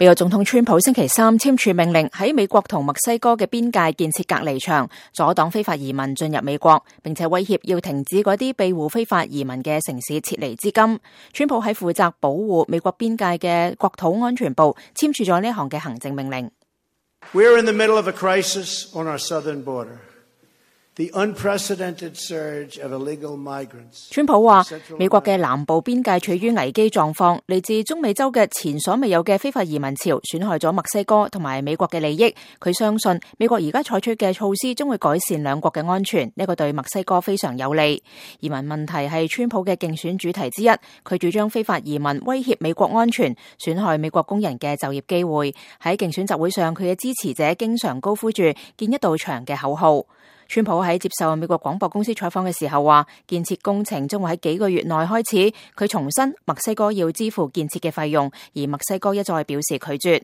美國總統川普星期三簽署命令，喺美國同墨西哥嘅邊界建設隔離牆，阻擋非法移民進入美國，並且威脅要停止嗰啲庇護非法移民嘅城市撤離資金。川普喺負責保護美國邊界嘅國土安全部簽署咗呢項嘅行政命令。We are in the middle of a crisis on our southern border. The unprecedented surge of illegal migrants. 川普話，美國嘅南部邊界處於危機狀況，嚟自中美洲嘅前所未有嘅非法移民潮損害咗墨西哥同埋美國嘅利益。佢相信美國而家採取嘅措施將會改善兩國嘅安全，呢個對墨西哥非常有利。移民問題係川普嘅競選主題之一，佢主張非法移民威脅美國安全，損害美國工人嘅就業機會。喺競選集會上，佢嘅支持者經常高呼住建一道牆嘅口號。川普喺接受美國廣播公司採訪嘅時候話，建設工程將會喺幾個月內開始。佢重申墨西哥要支付建設嘅費用，而墨西哥一再表示拒絕。